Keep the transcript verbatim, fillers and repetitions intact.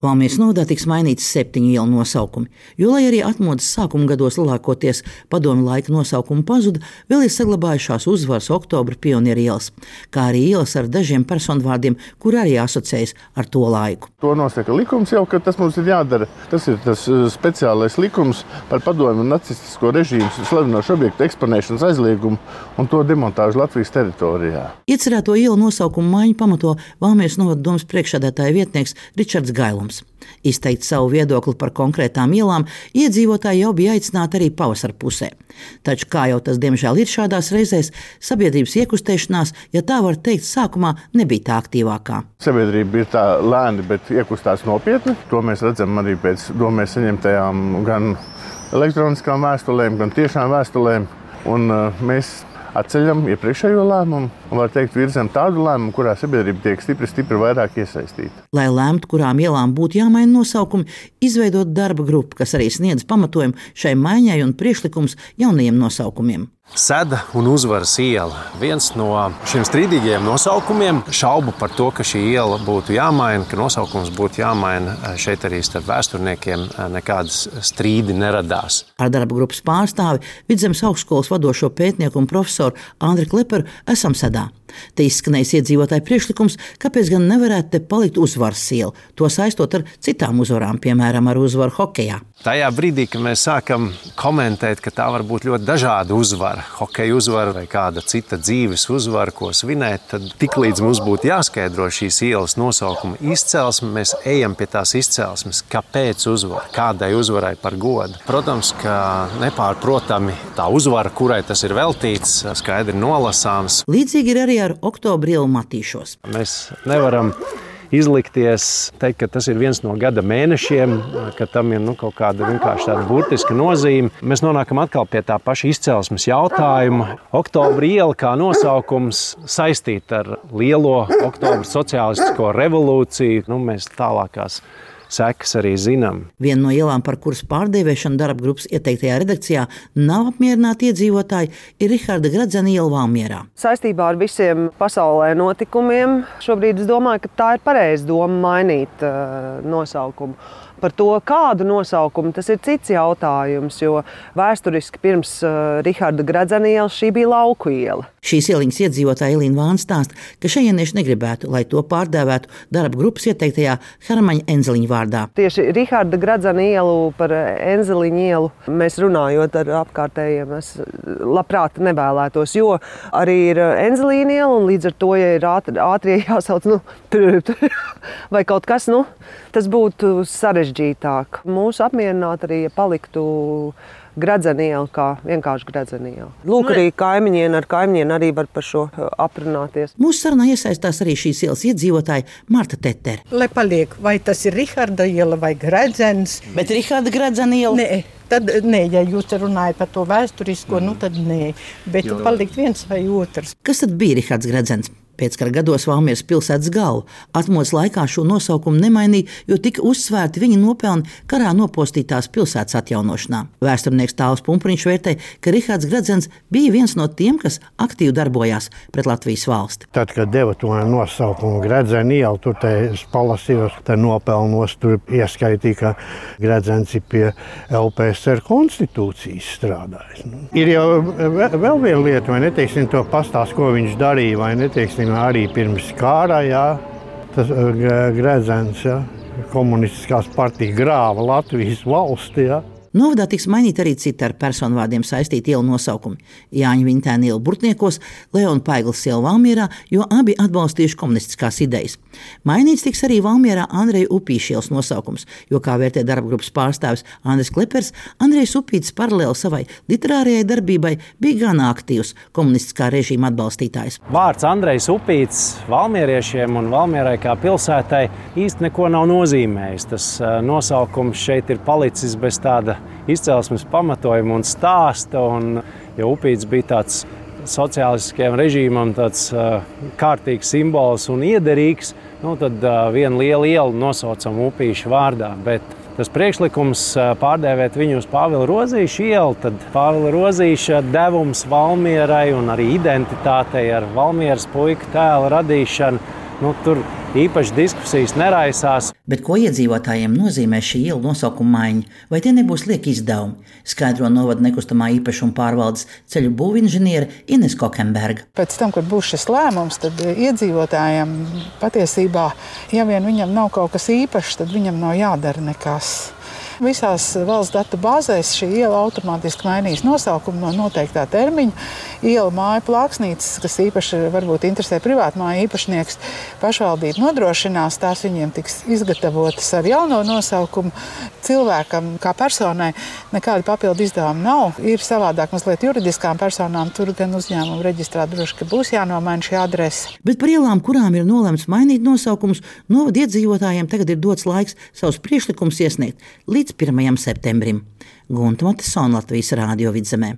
Valmieras novadā tiks mainīts septiņu ielu nosaukumi, jo, lai arī atmodas sākuma gados lielākoties padomju laika nosaukumi pazuda, vēl ir saglabājušās Uzvaras, Oktobra, Pionieru ielas, kā arī ielas ar dažiem personvārdiem, kur arī asociējas ar to laiku. To nosaka likums jau, ka tas mums ir jādara. Tas ir tas speciālais likums par padomju nacistisko režīmu slavinošu objektu eksponēšanas aizliegumu un to demontāžu Latvijas teritorijā. Iecerēto ielu nosaukumu maiņu pamato Valmieras novada domas priekšsēdētāja vietnieks Ričards Gailums. Izteikt savu viedokli par konkrētām ielām iedzīvotāji jau bija aicināti arī pavasara pusē. Taču, kā jau tas diemžēl ir šādās reizēs, sabiedrības iekustēšanās, ja tā var teikt, sākumā nebija tā aktīvākā. Sabiedrība ir tā lēni, bet iekustās nopietni. To mēs redzam arī pēc domēs saņemtajām gan elektroniskām vēstulēm, gan tiešām vēstulēm. Un uh, mēs atceļam iepriekšējo lēmumu un, var teikt, virzam tādu lēmumu, kurā sabiedrība tiek stipri, stipri vairāk iesaistīta. Lai lemtu, kurām ielām būtu jāmaina nosaukumi, izveidot darba grupu, kas arī sniedz pamatojumu šai maiņai un priekšlikums jaunajiem nosaukumiem. Seda un Uzvaras iela. Viens no šiem strīdīgajiem nosaukumiem, šaubu par to, ka šī iela būtu jāmaina, ka nosaukums būtu jāmaina, šeit arī starp vēsturniekiem nekādas strīdi neradās. Ar darba grupas pārstāvi Vidzemes augstskolas vadošo pētnieku un profesoru Andri Kleperu esam Sedā. Te izskanējis iedzīvotāju priekšlikums, kāpēc gan nevarētu te palikt Uzvaras iela, to saistot ar citām uzvarām, piemēram, ar uzvaru hokejā. Tajā brīdī, kad mēs sākam komentēt, ka tā var būt ļoti dažāda uzvara, hokeja uzvara vai kāda cita dzīves uzvara, ko svinēt, tad tiklīdz mums būtu jāskaidro šīs ielas nosaukuma izcelsme, mēs ejam pie tās izcelsmes, kāpēc uzvara, kādai uzvarai par godu. Protams, ka nepārprotami tā uzvara, kurai tas ir veltīts, skaidri nolasāms. Līdzīgi ir arī ar Oktobra ielu Matīšos. Mēs nevaram izlikties, teikt, ka tas ir viens no gada mēnešiem, ka tam ir nu, kaut kāda vienkārši tāda burtiska nozīme. Mēs nonākam atkal pie tā paša izcelsmes jautājuma. Oktobra iela kā nosaukums saistīta ar lielo Oktobra sociālistisko revolūciju. Nu, mēs tālākās sekas arī zinām. Viena no ielām, par kuras pārdēvēšanu darba grupas ieteiktajā redakcijā nav apmierināti iedzīvotāji, ir Riharda Gradzena iela Valmierā. Saistībā ar visiem pasaulē notikumiem šobrīd es domāju, ka tā ir pareiza doma mainīt uh, nosaukumu. Par to, kādu nosaukumu, tas ir cits jautājums, jo vēsturiski pirms uh, Riharda Gradzena ielas šī bija Lauku iela. Šīs ieliņas iedzīvotāja Elīna Vāna stāsta, ka šajienieši negribētu, lai to pārdēvētu darba grupas ieteiktajā Hermaņa Enzeliņa vārdā. Tieši Riharda Gradzena ielu par Enzeliņa ielu mēs runājot ar apkārtējiem, es labprāt nevēlētos, jo arī ir Enzelīna iela un līdz ar to, ja ir ātri, ātrie jāsauc, nu, vai kaut kas, nu, tas būtu sarežģītāk. Mūs apmierināt arī, ja paliktu Gradzena iela kā vienkārši Gradzena iela. Lūk, arī kaimiņieni ar kaimiņieni arī var par šo aprunāties. Mūsu sarunā iesaistās arī šīs ielas iedzīvotāja Marta Tetere. Lai paliek, vai tas ir Riharda iela vai Gradzens. Bet Riharda Gradzena iela? Nē, tad nē, ja jūs runājat par to vēsturisko, mm. nu tad nē. Bet jo. Palikt viens vai otrs. Kas tad bija Rihards Gradzens? Pēckara gados Valmieras pilsētas galva. Atmodas laikā šo nosaukumu nemainīja, jo tika uzsvērti viņa nopelni karā nopostītās pilsētas atjaunošanā. Vēsturnieks Tāls Pumpriņš vērtē, ka Rihards Gradzens bija viens no tiem, kas aktīvi darbojās pret Latvijas valsti. Tad, kad deva to nosaukumu Gradzena iela, tur te es palasījos, te nopelnos, tur ieskaitīja, ka Gradzens ir pie L P S R konstitūcijas strādājis. Ir jau vēl viena lieta, vai neteiksim to pastāst, ko viņš darīja, vai neteiksim arī pirms kārā, jā, tas Gradzens, jā, komunistiskās partija grāva Latvijas valsti, jā. Novadā tiks mainīt arī citi ar personvārdiem saistīti ielu nosaukumi. Jāņa Vintēna iela Burtniekos, Leona Paiglas iela Valmierā, jo abi atbalstījuši komunistiskās idejas. Mainīts tiks arī Valmierā Andreja Upīša ielas nosaukums, jo, kā vērtē darba grupas pārstāvis Andris Klepers, Andrejs Upītis paralēli savai literārajai darbībai bija gan aktīvs komunistiskā režīma atbalstītājs. Vārds Andrejs Upītis valmieriešiem un Valmierai kā pilsētai īsti neko nav nozīmējis. Tas nosaukums šeit ir palicis bez tāda izcelsmes pamatojuma un stāsta, un ja Upītis bija tāds sociālistiskajam režīmam tāds uh, kārtīgs simbols un iederīgs, nu tad uh, viena liela iela nosaucam Upīša vārdā, bet tas priekšlikums uh, pārdēvēt viņu uz Pāvila Rozīša ielu, tad Pāvila Rozīša devums Valmierai un arī identitātei ar Valmieras puika tēla radīšanu, nu tur īpaši diskusijas neraisās. Bet ko iedzīvotājiem nozīmē šī iela nosaukuma maiņa? Vai tie nebūs lieki izdevumi? Skaidro novada nekustamā īpašuma pārvaldes ceļu būvinženiere Ines Kokemberga. Pēc tam, kad būs šis lēmums, tad iedzīvotājiem patiesībā, ja vien viņam nav kaut kas īpašs, tad viņam nav jādara nekas. Visās valsts datu bāzēs šī iela automātiski mainīs nosaukumu no noteiktā termiņa. Iela māju plāksnītes, kas īpaši varbūt interesē privātmāju īpašnieks, pašvaldība nodrošinās, tās viņiem tiks izgatavotas ar jauno nosaukumu. Cilvēkam kā personai nekāda papildu izdevuma nav. Ir savādāk mazliet juridiskām personām, tur gan uzņēmumu reģistrā droši, ka būs jānomaina šī adrese. Bet par ielām, kurām ir nolemts mainīt nosaukumus, novada iedzīvotājiem tagad ir dots laiks savus priekšlikumus iesniegt līdz pirmajam septembrim. Gunta Matesona, Latvijas Rādio Vidzemē.